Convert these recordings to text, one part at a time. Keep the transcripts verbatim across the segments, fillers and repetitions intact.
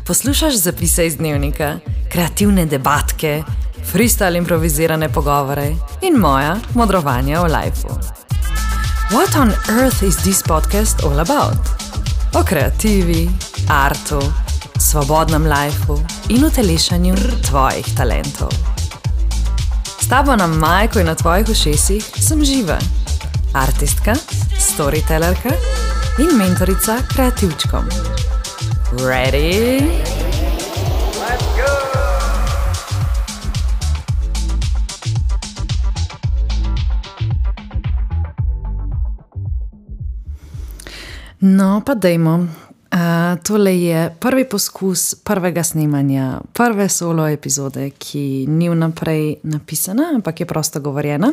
Poslušaš zapise iz dnevnika, kreativne debatke, freestyle improvizirane pogovore in moja modrovanja o lifeu. What on earth is this podcast all about? O kreativi, artu, svobodnem lifeu in utelešanju tvojih talentov. S tabo na majku in na tvojih ušesih sem Živa, artistka, storytellerka in mentorica kreativčkom. Ready? Let's go! No, pa dajmo. Uh, tole je prvi poskus prvega snemanja, prve solo epizode, ki ni vnaprej napisana, ampak je prosto govorjena.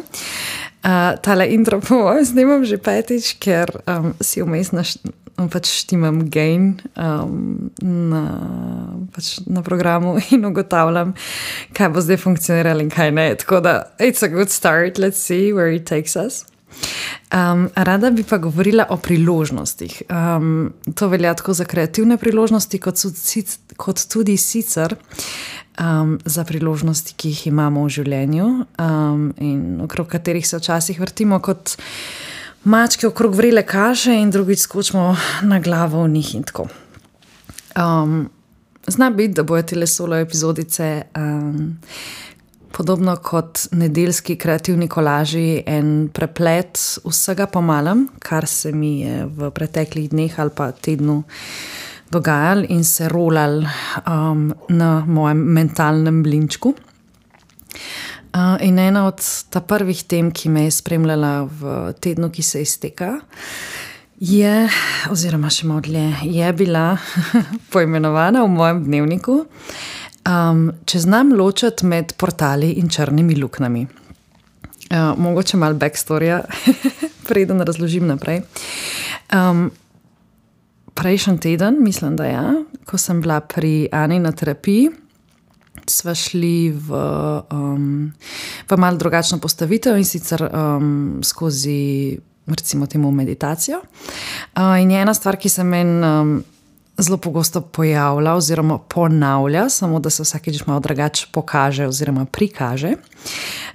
Uh, tale intro po mojem snimam že petič, ker um, si vmes naš, pač štimam gain um, na, pač na programu in ugotavljam, kaj bo zdaj funkcioniralo in kaj ne. Tako da, it's a good start, let's see where it takes us. Um, rada bi pa govorila o priložnostih. Um, to velja tako za kreativne priložnosti, kot, so, kot tudi sicer um, za priložnosti, ki jih imamo v življenju um, in okrog katerih se včasih vrtimo kot mačke okrog vrele kaše in drugič skočimo na glavo v njih in tako. Um, zna biti, da bojo tele solo epizodice um, podobno kot nedeljski kreativni kolaži en preplet vsega po malem, kar se mi je v preteklih dneh ali pa tednu dogajal in se rolal um, na mojem mentalnem blinčku. Uh, in ena od ta prvih tem, ki me je spremljala v tednu, ki se izteka, je, oziroma še malo dlje, je bila poimenovana v mojem dnevniku Um, če znam ločati med portali in črnimi luknami. Uh, mogoče malo backstorija, preden razložim naprej. Um, prejšnji teden, mislim, da ja, ko sem bila pri Ani na terapiji, sva šli v, um, v malo drugačno postavitev in sicer um, skozi, recimo temu, meditacijo. Uh, in je ena stvar, ki se meni um, zelo pogosto pojavlja oziroma ponavlja, samo da se vsakeč malo drugače pokaže oziroma prikaže.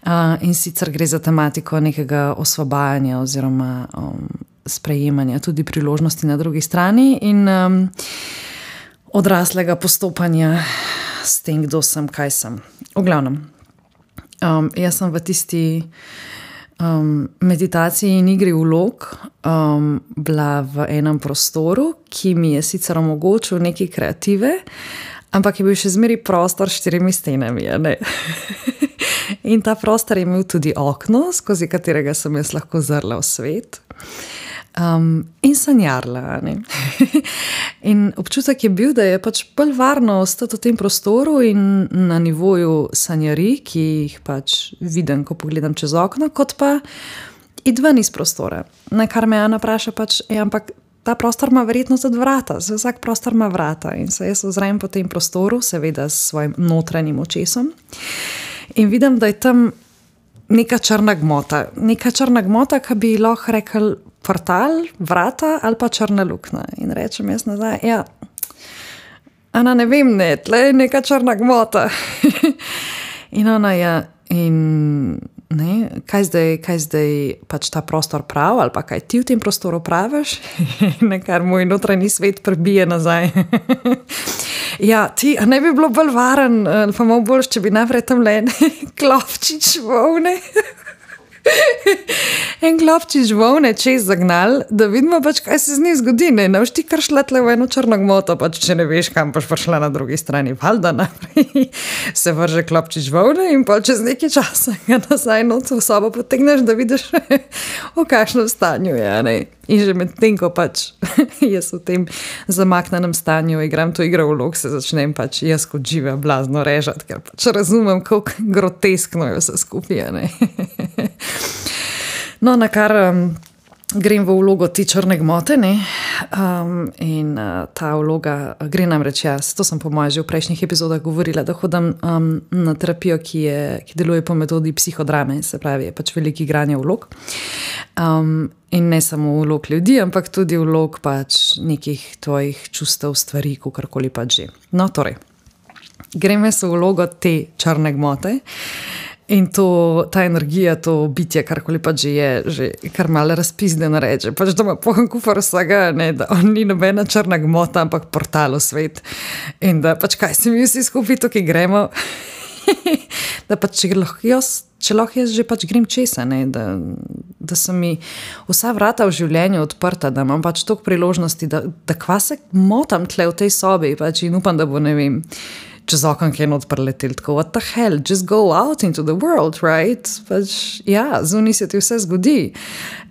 Uh, in sicer gre za tematiko nekega osvobajanja oziroma um, sprejemanja tudi priložnosti na drugi strani in um, odraslega postopanja s tem, kdo sem, kaj sem. V glavnem, um, jaz sem v tisti Um, meditaciji in igri vlog um, bila v enem prostoru, ki mi je sicer omogočil nekaj kreative, ampak je bil še zmeri prostor s štirimi stenami. Ne? In ta prostor je imel tudi okno, skozi katerega sem jaz lahko zrla v svet um, in sanjarla. Ne? In občutek je bil, da je pač bolj varno ostati v tem prostoru in na nivoju sanjarij, ki jih pač vidim, ko pogledam čez okno, kot pa id ven iz prostora. Na kar me Ana vpraša pač, je, ampak ta prostor ima verjetno tudi vrata, vsak prostor ima vrata in se jaz ozrem po tem prostoru, seveda s svojim notranjim očesom in vidim, da je tam neka črna gmota. Neka črna gmota, ki bi lahko rekel portal, vrata ali pa črna luknja. In rečem jaz nazaj, ja, Ana, ne vem, ne, tle je neka črna gmota. In ona je, in ne, kaj zdaj, kaj zdaj pač ta prostor prav, ali pa kaj ti v tem prostoru praviš, nekar moj notranji svet prebije nazaj. Ja, ti, a ne bi bilo bolj varen, pa malo boljš, če bi najprej tam le klopčič volne. En klopčič volne čez zagnal, da vidimo pač, kaj se z njih zgodi. Ne, ne boš ti kar šla tle v eno črno gmoto, pač če ne veš, kam boš prišla na drugi strani. Valjda naprej se vrže klopčič volne in pa čez nekaj časa ga nazaj noc v sobo potegneš, da vidiš, v kakšnem stanju je. Ne? In že med tem, ko pač jaz v tem zamaknenem stanju igram to igro vlog, se začnem pač jaz kot Živa blazno režati, ker pač razumem, kako groteskno je vse skupaj. Ne? No, na kar um, grem v vlogo te črne gmote, ne? Um, in uh, ta vloga gre namreč jaz. To sem po mojem že v prejšnjih epizodah govorila, da hodim um, na terapijo, ki, je, ki deluje po metodi psihodrame, se pravi, je pač veliko igranja vlog. Um, in ne samo vlog ljudi, ampak tudi vlog pač nekih tvojih čustev, stvari, kakorkoli pač že. No, torej, grem jaz v vlogo te črne gmote. In to, ta energija, to bitje, karkoli pač že je, že kar malo razpizdeno reče. Pač da ima poln kufer vsega, ne, da on ni nobena črna gmota, ampak portal v svet. In da pač kaj se mi vsi skupaj tukaj gremo, da pač če lahko jaz, če lahko jaz že pač grem česa, ne, da, da so mi vsa vrata v življenju odprta, da imam pač toliko priložnosti, da, da kva se motam tle v tej sobi pač in upam, da bo, ne vem, čez okon kaj not preletel, tako, what the hell, just go out into the world, right? Pač, ja, zunaj se ti vse zgodi.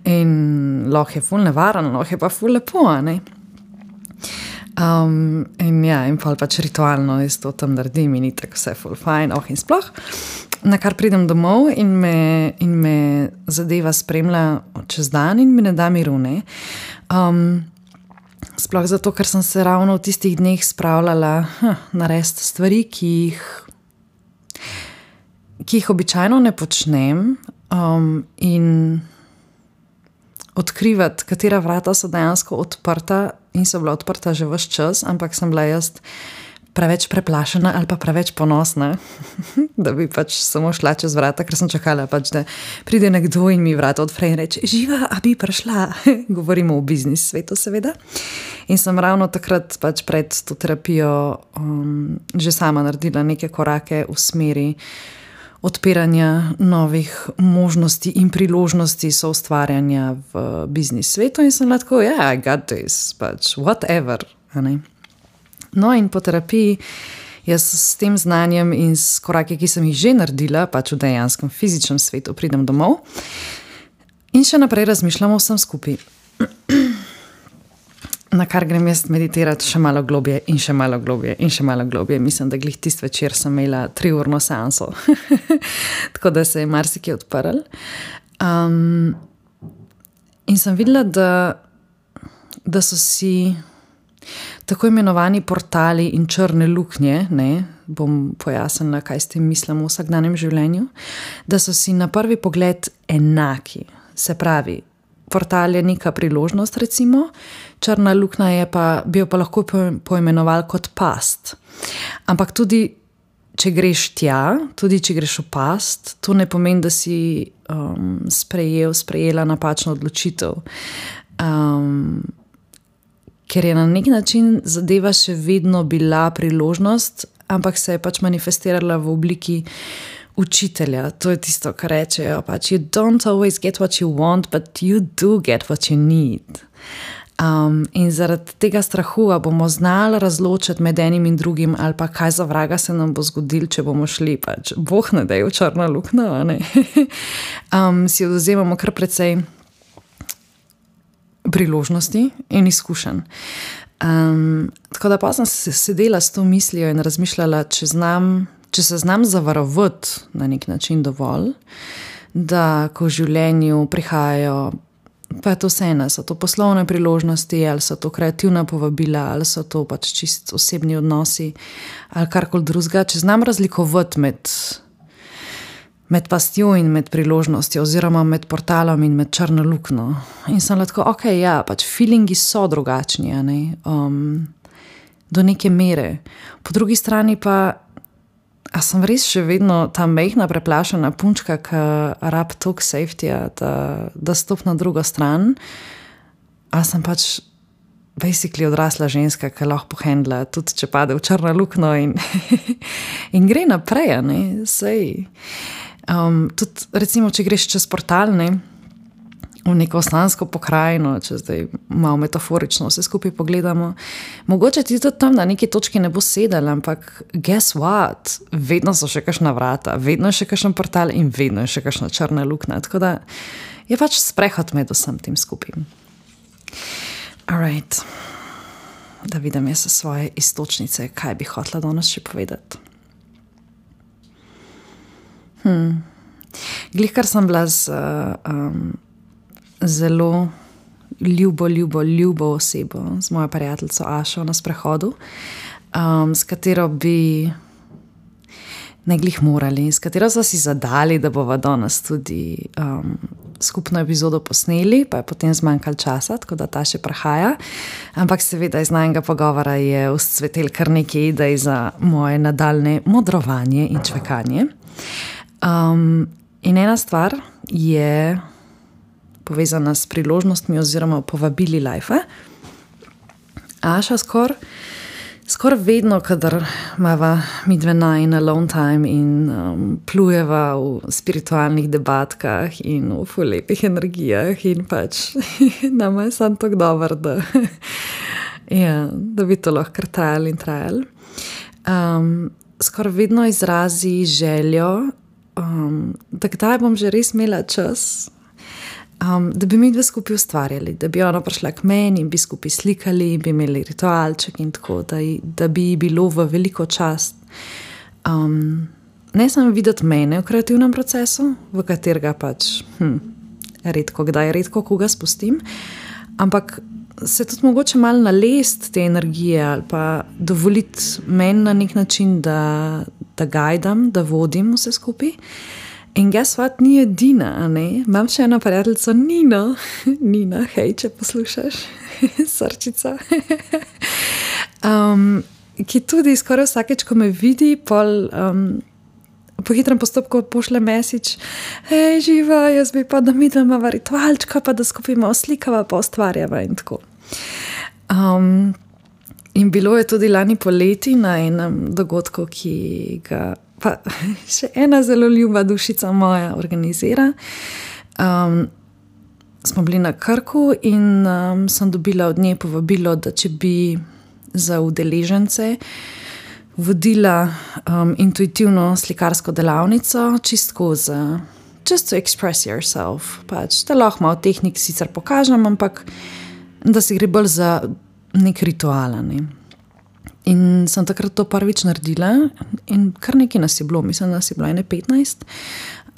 In lahko je ful nevaren, lahko je pa ful lepo, ne? Um, in ja, in pa pač ritualno jaz to tam naredim in ni tako vse ful fajn, oh in sploh. Na kar pridem domov in me, in me zadeva spremlja čez dan in mi ne da miru, ne? Um, Sploh zato, ker sem se ravno v tistih dneh spravljala hm, narediti stvari, ki jih, ki jih običajno ne počnem um, in odkrivati, katera vrata so dejansko odprta in so bila odprta že ves čas, ampak sem bila jaz preveč preplašena ali pa preveč ponosna, da bi pač samo šla čez vrata, ker sem čakala pač, da pride nekdo in mi vrata odpre in reče, živa, a bi prišla. Govorimo o biznis svetu seveda. In sem ravno takrat pač pred to terapijo um, že sama naredila neke korake v smeri odpiranja novih možnosti in priložnosti soustvarjanja v biznis svetu in sem lahko, ja, yeah, I got this, pač whatever, a ne. No in po terapiji jaz s tem znanjem in s koraki, ki sem jih že naredila, pač v dejanskem fizičnem svetu pridem domov in še naprej razmišljam o vsem skupaj. Na kar grem jaz meditirati še malo globje in še malo globje in še malo globje. Mislim, da glih tist večer sem imela triurno seanso. Tako da se je marsikaj odprl. Um, in sem videla, da, da so si tako imenovani portali in črne luknje, ne, bom pojasnila, kaj s tem mislim v vsakdanjem življenju, da so si na prvi pogled enaki. Se pravi, portal je neka priložnost, recimo, črna luknja je pa, bi jo pa lahko poimenoval kot past. Ampak tudi, če greš tja, tudi če greš v past, to ne pomeni, da si um, sprejel, sprejela napačno odločitev. Um, ker je na nek način zadeva še vedno bila priložnost, ampak se je pač manifestirala v obliki učitelja. To je tisto, kar rečejo, pač you don't always get what you want, but you do get what you need. Um, in zaradi tega strahu, a bomo znali razločiti med enim in drugim, ali pa kaj za vraga se nam bo zgodilo, če bomo šli, pač boh ne dej v črno luknjo, a ne? um, si odvzemamo kar precej priložnosti in izkušenj. Um, tako da pa sem sedela s to mislijo in razmišljala, če, znam, če se znam zavarovati na nek način dovolj, da ko v življenju prihajajo, pa je to vseeno, so to poslovne priložnosti, ali so to kreativna povabila, ali so to pač čist osebni odnosi, ali karkoli drugega, če znam razlikovati med med pastjo in med priložnostjo, oziroma med portalom in med črno luknjo. In sem lahko, ok, ja, pač feelingi so drugačni, a ne, um, do neke mere. Po drugi strani pa, a sem res še vedno ta mehna, preplašena punčka, ki rab toliko safetyja, da, da stop na drugo stran, a sem pač basically odrasla ženska, ki lahko pohendla, tudi če pade v črno luknjo in, in gre naprej, a ne, sej. Um, tudi recimo, če greš čez portal, ne, v neko slansko pokrajino, če zdaj malo metaforično vse skupaj pogledamo, mogoče ti tudi tam na neki točki ne bo sedel, ampak guess what? Vedno so še kakšna vrata, vedno je še kakšen portal in vedno je še kakšna črna luknja, tako da je pač sprehod med vsem tem skupaj. Alright, da vidim jaz svoje istočnice, kaj bi hotela danes še povedati. Hmm. Glih, kar sem bila z, uh, um, zelo ljubo, ljubo, ljubo osebo, z mojo prijateljico Ašo na sprehodu, um, s katero bi ne glih morali, s katero so si zadali, da bova danes tudi um, skupno epizodo posneli, pa je potem zmanjkalo časa, tako da ta še prihaja. Ampak seveda iz najnega pogovora je vzcvetel kar nekaj idej za moje nadaljne modrovanje in čvekanje. Um, in ena stvar je povezana s priložnostmi oziroma povabili life. Aša skor, skor vedno, kadar imava midve najin alone time in um, plujeva v spiritualnih debatkah in v ful lepih energijah in pač nama je sam tako dober, da, ja, da bi to lahko trajali in trajali. Um, skor vedno izrazi željo, um, da kdaj bom že res imela čas, Um, da bi mi dve skupaj ustvarjali, da bi ona prišla k meni in bi skupaj slikali in bi imeli ritualček in tako, da, da bi bilo v veliko čast um, ne samo videti mene v kreativnem procesu, v katerega pač hm, redko kdaj, redko koga spustim, ampak se tudi mogoče malo nalest te energije ali pa dovoliti meni na nek način, da, da gajdam, da vodim vse skupaj. In guess what, ni edina, a ne? Imam še eno prijateljico, Nino. Nina, hej, če poslušaš, srčica. um, ki tudi skoraj vsakeč, ko me vidi, pol, um, po hitrem postopku pošle message, hej, živa, jaz bi pa, da mi dva imava ritualčka, pa da skupaj malo slikava, pa ustvarjava in tako. Um, in bilo je tudi lani poleti na enem dogodku, ki ga pa še ena zelo ljuba dušica moja organizira. Um, smo bili na Krku in um, sem dobila od nje povabilo, da če bi za udeležence vodila um, intuitivno slikarsko delavnico, čistko za just to express yourself. Pač, da lahko malo tehnik sicer pokažem, ampak da se gre bolj za nek ritual, ne. In sem takrat to prvič naredila in kar nekaj nas je bilo, mislim, da nas je bilo ene petnajst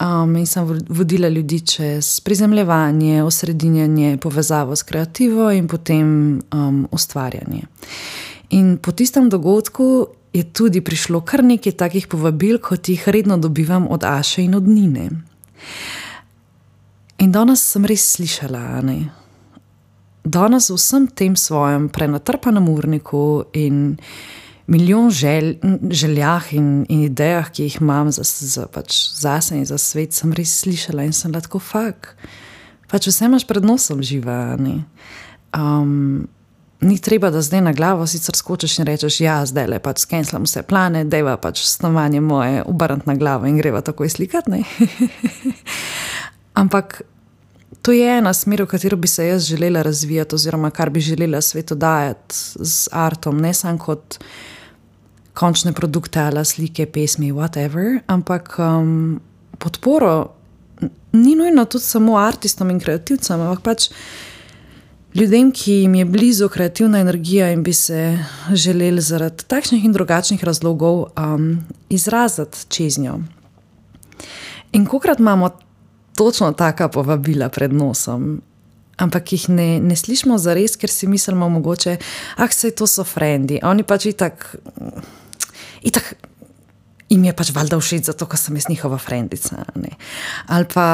um, in sem vodila ljudi čez prizemljevanje, osredinjanje, povezavo s kreativo in potem um, ustvarjanje. In po tistem dogodku je tudi prišlo kar nekaj takih povabil, kot jih redno dobivam od Aše in od Nine. In danes sem res slišala, ne? Danes v vsem tem svojem prenatrpanem urniku in milijon želj, željah in, in idejah, ki jih imam za, za, pač zase in za svet, sem res slišala in sem tako fak. Pač vse imaš pred nosom živa, ne? Um, ni treba, da zdaj na glavo sicer skočiš in rečeš, ja, zdaj le pač skenslam vse plane, dejva pač snovanje moje obrniti na glavo in greva takoj slikat, ne? Ampak to je ena smer, v katero bi se jaz želela razvijati oziroma kar bi želela svetu dajati z artom, ne samo kot končne produkte ali slike, pesmi, whatever, ampak um, podporo ni nujno tudi samo artistom in kreativcem, ampak pač ljudem, ki jim je blizu kreativna energija in bi se želeli zaradi takšnih in drugačnih razlogov um, izraziti čez njo. In kolikrat imamo točno taka povabila pred nosom, ampak jih ne, ne slišimo zares, ker si mislimo mogoče, ah, sej to so frendi, oni pač itak, itak jim je pač valjda všeč zato, ker sem jaz njihova frendica, ne. Ali pa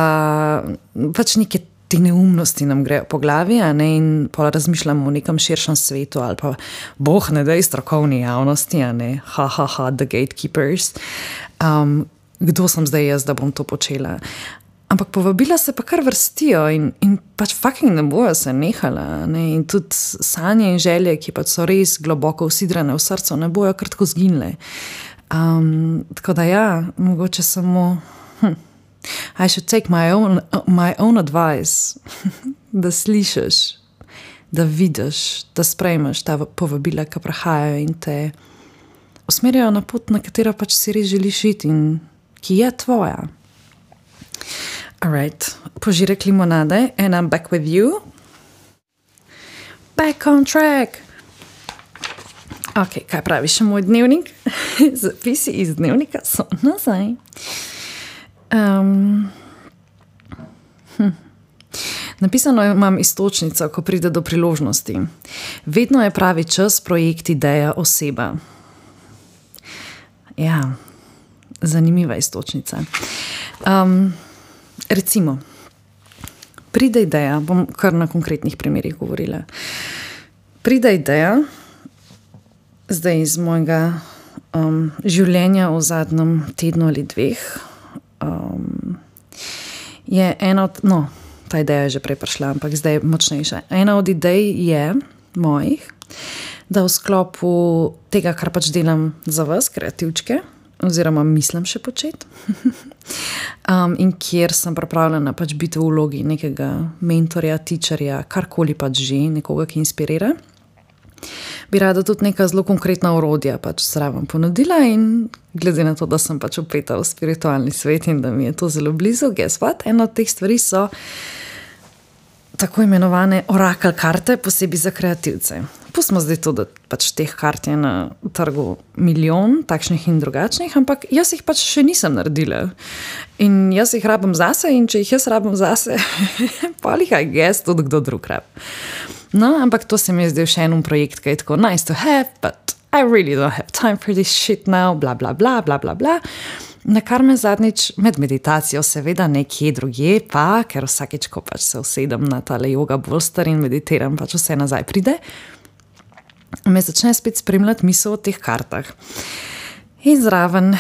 pač neke te neumnosti nam grejo po glavi, a ne, in pol razmišljamo o nekem širšem svetu, ali pa boh ne dej strokovni javnosti, a ne, ha, ha, ha, the gatekeepers. Um, kdo sem zdaj jaz, da bom to počela? Ampak povabila se pa kar vrstijo in, in pač fucking ne bojo se nehala, ne? In tudi sanje in želje, ki pač so res globoko usidrane v srcu, ne bojo kar tako zginile. Um, tako da ja, mogoče samo hm, I should take my own, my own advice, da slišiš, da vidiš, da sprejmeš ta povabila, ki prihajajo in te usmerjajo na pot, na katero pač si res želiš iti in ki je tvoja. Alright, požirek limonade and I'm back with you. Back on track. Ok, kaj pravi še moj dnevnik? Zapisi iz dnevnika so nazaj. Um, hm. Napisano imam iztočnico, ko pride do priložnosti. Vedno je pravi čas, projekt, ideja, oseba. Ja, zanimiva iztočnica. Um, recimo, pride ideja, bom kar na konkretnih primerih govorila. Pride ideja, zdaj iz mojega um, življenja v zadnjem tednu ali dveh, um, je ena od, no, ta ideja je že prej prišla, ampak zdaj je močnejša. Ena od idej je mojih, da v sklopu tega, kar pač delam za vas, kreativčke, oziroma mislim še početi, um, in kjer sem pripravljena pač biti v vlogi nekega mentorja, teacherja, karkoli pač že, nekoga, ki inspirira, bi rada tudi neka zelo konkretna orodja pač zraven ponudila in glede na to, da sem pač upeta v spiritualni svet in da mi je to zelo blizu, guess what? Ena od teh stvari so tako imenovane orakel karte, posebej za kreativce. Pustimo zdaj to, da pač teh kart je na trgu milijon, takšnih in drugačnih, ampak jaz jih pač še nisem naredila. In jaz jih rabim zase in če jih jaz rabim zase, pa jih I guess tudi kdo drug rab. No, ampak to se mi je zdaj še en projekt, ki je tako nice to have, but I really don't have time for this shit now, bla, bla, bla, bla, bla, bla. Na kar me zadnjič med meditacijo, seveda nekje drugje, pa, ker vsakeč, ko pač se usedem na tale yoga bolster in meditiram, pač vse nazaj pride, me začne spet spremljati misel o teh kartah. In zraven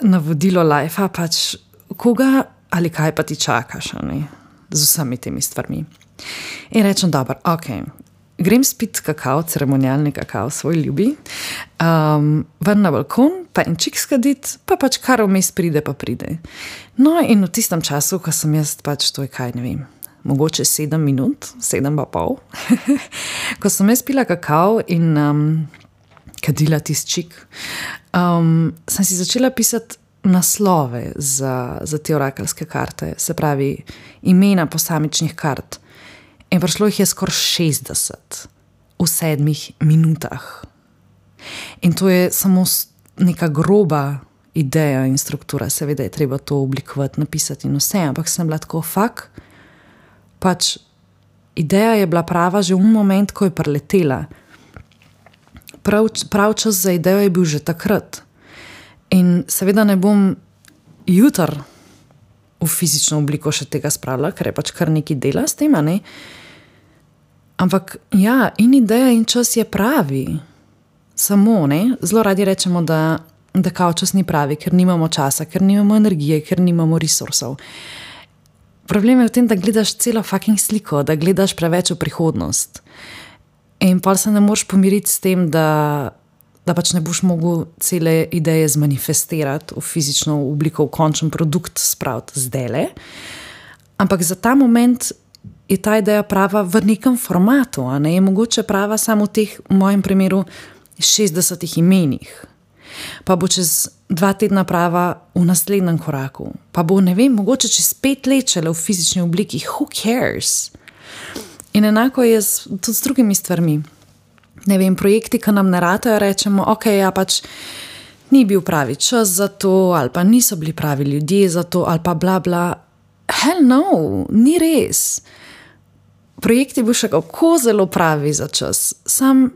navodilo life-a pač, koga ali kaj pa ti čakaš, ne, z vsemi temi stvarmi. In rečem, dobro, ok, grem spit kakao, ceremonialni kakao, svoj ljubi, um, ven na balkon, pa en čik skadit, pa pač kar vmes pride, pa pride. No, in v tistem času, ko sem jaz pač, to je kaj, ne vem, mogoče sedem minut, sedem pa pol, ko sem jaz pila kakao in um, kadila tist čik, um, sem si začela pisati naslove za, za te orakelske karte, se pravi, imena posamičnih kart. In prišlo jih je skoraj šestdeset v sedmih minutah. In to je samo neka groba ideja in struktura. Seveda je treba to oblikovati, napisati in vse, ampak sem bila tako, fak, pač ideja je bila prava že v moment, ko je preletela. Prav, prav čas za idejo je bil že takrat. In seveda ne bom jutr v fizično obliko še tega spravila, ker je pač kar neki dela s tem, ne? Ampak ja, in ideja in čas je pravi. Samo, ne? Zelo radi rečemo, da, da kao čas ni pravi, ker nimamo časa, ker nimamo energije, ker nimamo resursov. Problem je v tem, da gledaš celo fucking sliko, da gledaš preveč v prihodnost. In pa se ne moreš pomiriti s tem, da da pač ne boš mogel cele ideje zmanifestirati v fizično obliko, v končen produkt spraviti zdajle. Ampak za ta moment je ta ideja prava v nekem formatu, a ne je mogoče prava samo v teh, v mojem primeru, šestdesetih imenih. Pa bo čez dva tedna prava v naslednjem koraku. Pa bo, ne vem, mogoče čez pet let šele v fizični obliki. Who cares? In enako je z, tudi s drugimi stvarmi. Ne vem, projekti, ki nam ne ratajo, rečemo, ok, ja pač ni bil pravi čas za to, ali pa niso bili pravi ljudje za to, ali pa bla bla. Hell no, ni res. Projekti bo še kako zelo pravi za čas. Sam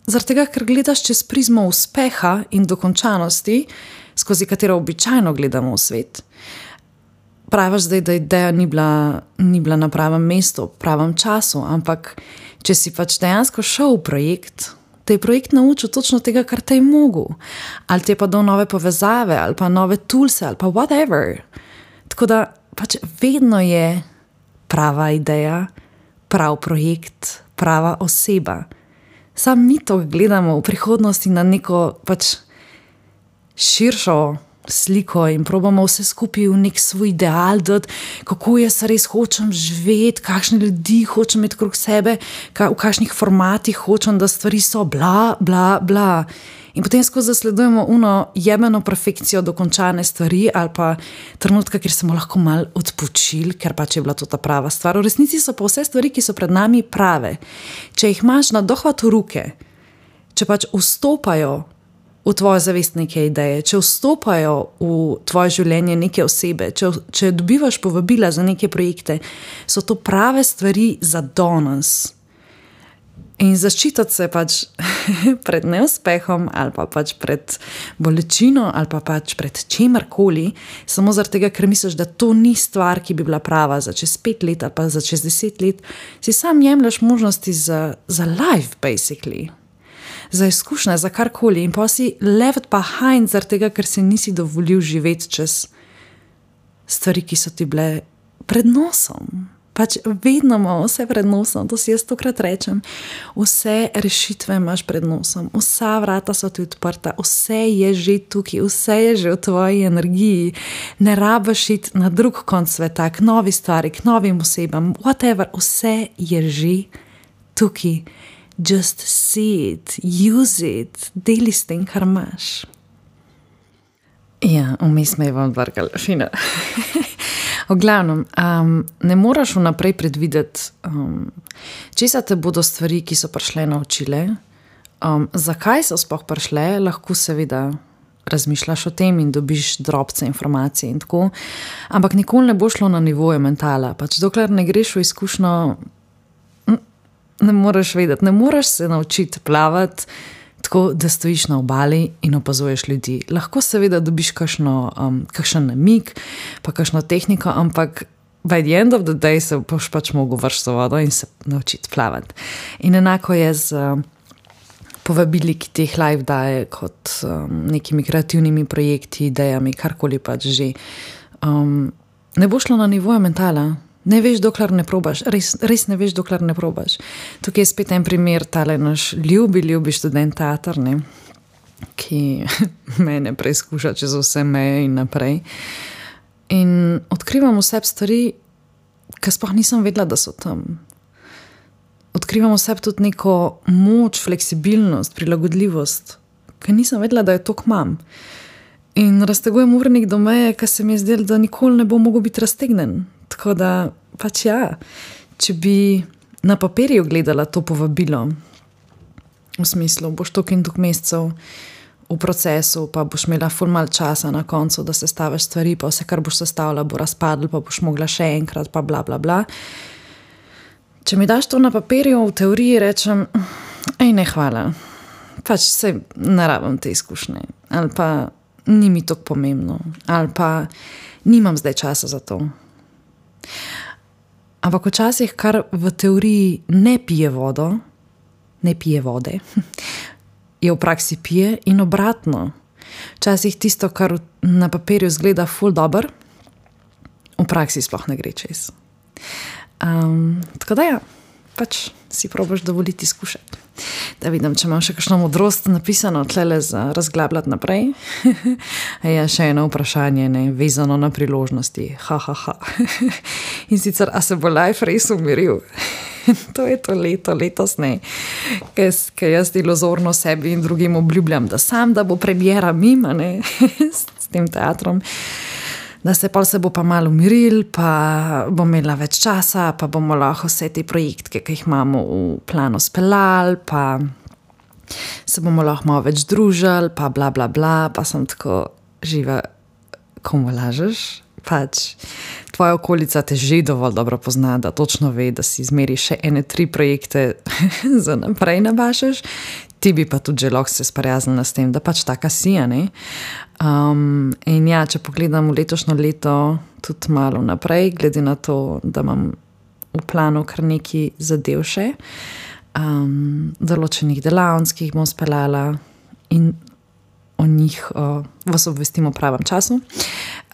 zaradi tega, ker gledaš čez prizmo uspeha in dokončanosti, skozi katero običajno gledamo v svet. Praviš zdaj, da ideja ni bila, ni bila na pravem mestu, v pravem času, ampak če si pač dejansko šel v projekt, te je projekt naučil točno tega, kar te je mogel. Ali te je pa dal nove povezave, ali pa nove toolse, ali pa whatever. Tako da pač vedno je prava ideja, prav projekt, prava oseba. Sam mi to gledamo v prihodnosti na neko pač širšo sliko in probamo vse skupaj v nek svoj ideal dati, kako jaz res hočem živeti, kakšne ljudi hočem imeti krog sebe, v kakšnih formatih hočem, da stvari so bla, bla, bla. In potem skozi zasledujemo uno jebeno perfekcijo dokončane stvari ali pa trenutka, kjer smo lahko malo odpočili, ker pač je bila to ta prava stvar. V resnici so pa vse stvari, ki so pred nami prave. Če jih imaš na dohvat v ruke, če pač vstopajo v tvoje zavest neke ideje, če vstopajo v tvoje življenje neke osebe, če, če dobivaš povabila za neke projekte, so to prave stvari za danes. In zaščititi se pač pred neuspehom ali pa pač pred bolečino ali pa pač pred čemarkoli, samo zaradi tega, ker misliš, da to ni stvar, ki bi bila prava za čez pet let ali pa za čez deset let, si sam jemlješ možnosti za, za life, basically. Za izkušnje, za karkoli. In pa si left behind zaradi tega, ker si nisi dovolil živeti čez stvari, ki so ti bile pred nosom. Pač vedno imamo vse pred nosom, to si jaz tokrat rečem. Vse rešitve imaš pred nosom, vsa vrata so ti odprta, vse je že tukaj, vse je že v tvoji energiji. Ne rabiš iti na drug konc sveta, k novi stvari, k novim osebam, whatever, vse je že tukaj. Just see it, use it, deli s tem, kar imaš. Ja, vmes me je vam vrgal, fino. V glavnem, um, ne moraš vnaprej predvideti, um, česa te bodo stvari, ki so prišle, naučile. Um, zakaj so sploh prišle, lahko seveda razmišljaš o tem in dobiš drobce informacije in tako, ampak nikoli ne bo šlo na nivoje mentala. Pač dokler ne greš v izkušnjo, ne moreš vedeti, ne moreš se naučiti plavati tako, da stojiš na obali in opazuješ ljudi. Lahko seveda dobiš kakšno, um, kakšen namig, pa kakšno tehniko, ampak by the end of the day se boš pač mogel vršiti v vodo in se naučiti plavati. In enako je z um, povabili, ki teh live daje kot um, nekimi kreativnimi projekti, idejami, karkoli pač že. Um, ne bo šlo na nivoje mentala. Ne veš, dokler ne probaš, res, res ne veš, dokler ne probaš. Tukaj je spet en primer, tale naš ljubi, ljubi študent teater, ne, ki mene preizkuša čez vse meje in naprej. In odkrivam v sebi stvari, ki sploh nisem vedela, da so tam. Odkrivam v sebi tudi neko moč, fleksibilnost, prilagodljivost, ki nisem vedela, da jo toliko imam. In raztegujem urnik do meje, ki se mi je zdelo, da nikoli ne bo mogel biti raztegnen. Tako da, pač ja, če bi na papirju gledala to povabilo, v smislu, boš toliko in toliko mesecev v procesu, pa boš imela ful malo časa na koncu, da sestaviš stvari, pa vse, kar boš sestavila, bo razpadlo, pa boš mogla še enkrat, pa bla, bla, bla. Če mi daš to na papirju, v teoriji rečem, ej, ne, hvala, pač se ne rabim te izkušnje, ali pa ni mi toliko pomembno, ali pa nimam zdaj časa za to. Ampak včasih, kar v teoriji ne pije vodo, ne pije vode, je v praksi pije in obratno. Včasih tisto, kar na papirju zgleda ful dober, v praksi sploh ne gre čez. Um, tako da ja, pač si probaš dovoliti izkušati. Da vidim, če imam še kakšno modrost napisano tlele za razglabljati naprej. Ja, še eno vprašanje, ne, vezano na priložnosti. Ha, ha, ha. In sicer, a se bo life res umiril? To je to leto, letos ne. Ker jaz iluzorno sebi in drugim obljubljam, da sam, da bo premiera mima, ne, s tem teatrom. Da se pol se bo pa malo umiril, pa bom imela več časa, pa bomo lahko vse te projektke, ki jih imamo v planu speljali, pa se bomo lahko malo več družili, pa bla, bla, bla, pa sem tako živa, komu lažeš? Pač tvoja okolica te že dovolj dobro pozna, da točno ve, da si izmeri še ene tri projekte za naprej nabašeš. Ti bi pa tudi že lahko se sprijaznila s tem, da pač taka si, ne? Um, in ja, če pogledam v letošnjo leto tudi malo naprej, glede na to, da imam v planu kar nekaj zadev še, um, določenih delavnic, ki jih bom speljala in o njih uh, vas obvestim v pravem času,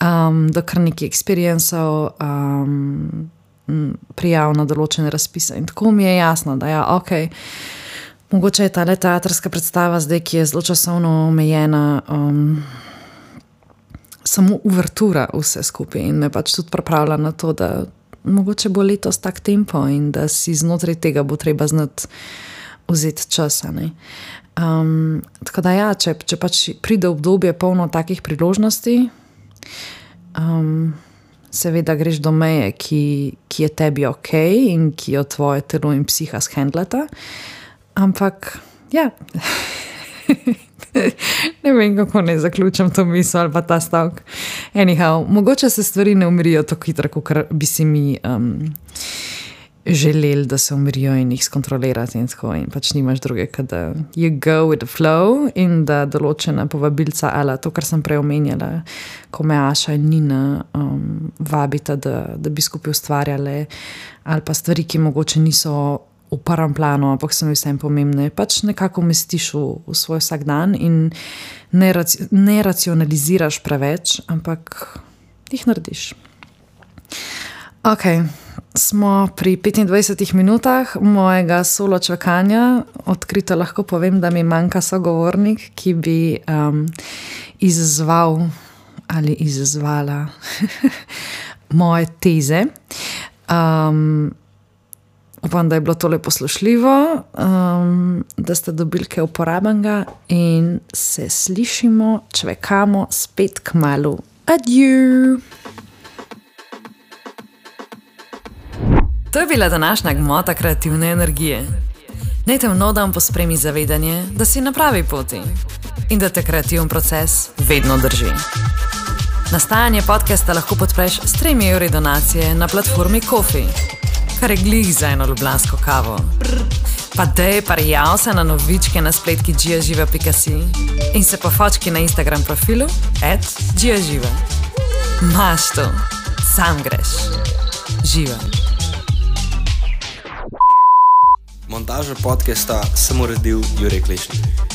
um, da kar nekaj experienceov, um, prijav na določene razpise in tako mi je jasno, da ja, okej, okay, mogoče je tale teatrska predstava zdaj, ki je zelo časovno omejena, um, samo uvertura vse skupaj in me pač tudi pripravlja na to, da mogoče bo letos tak tempo in da si znotraj tega bo treba znati vzeti časa. Ne? Um, tako da ja, če, če pač pride obdobje polno takih priložnosti, um, seveda greš do meje, ki, ki je tebi okej in ki jo tvoje telo in psiha shendlata. Ampak, ja, Ne vem, kako ne zaključim to misel ali pa ta stavek. Anyhow, mogoče se stvari ne umirijo tako hitro, kot bi si mi um, želeli, da se umirijo in jih skontrolirati in tako. In pač nimaš druge, kot da you go with the flow in da določena povabilca ali to, kar sem prej omenjala, ko me Aša in Nina um, vabita, da, da bi skupaj ustvarjale ali pa stvari, ki mogoče niso v prvem planu, ampak so mi vsem pomembne. Pač nekako umestiš v, v svoj vsak dan in ne, raci, ne racionaliziraš preveč, ampak jih narediš. Ok, smo pri petindvajsetih minutah mojega solo čakanja. Odkrito lahko povem, da mi manjka sogovornik, ki bi um, izzval ali izzvala moje teze. Um, Upam, da je bilo tole poslušljivo, um, da ste dobili kaj uporabnega in se slišimo, čvekamo spet kmalu. Adieu! To je bila današnja gmota kreativne energije. Naj te v nov dan pospremi zavedanje, da si na pravi poti in da te kreativen proces vedno drži. Nastajanje podcasta lahko podpreš s tremi evri donacije na platformi Ko-fi, kar je glih za eno ljubljansko kavo. Pa dej, parjav se na novičke na spletki giaživa pika si in se pofočki na Instagram profilu at giaživa. Maš to, sam greš. Živa. Montažo podcasta sem uredil Jurek Lešnik.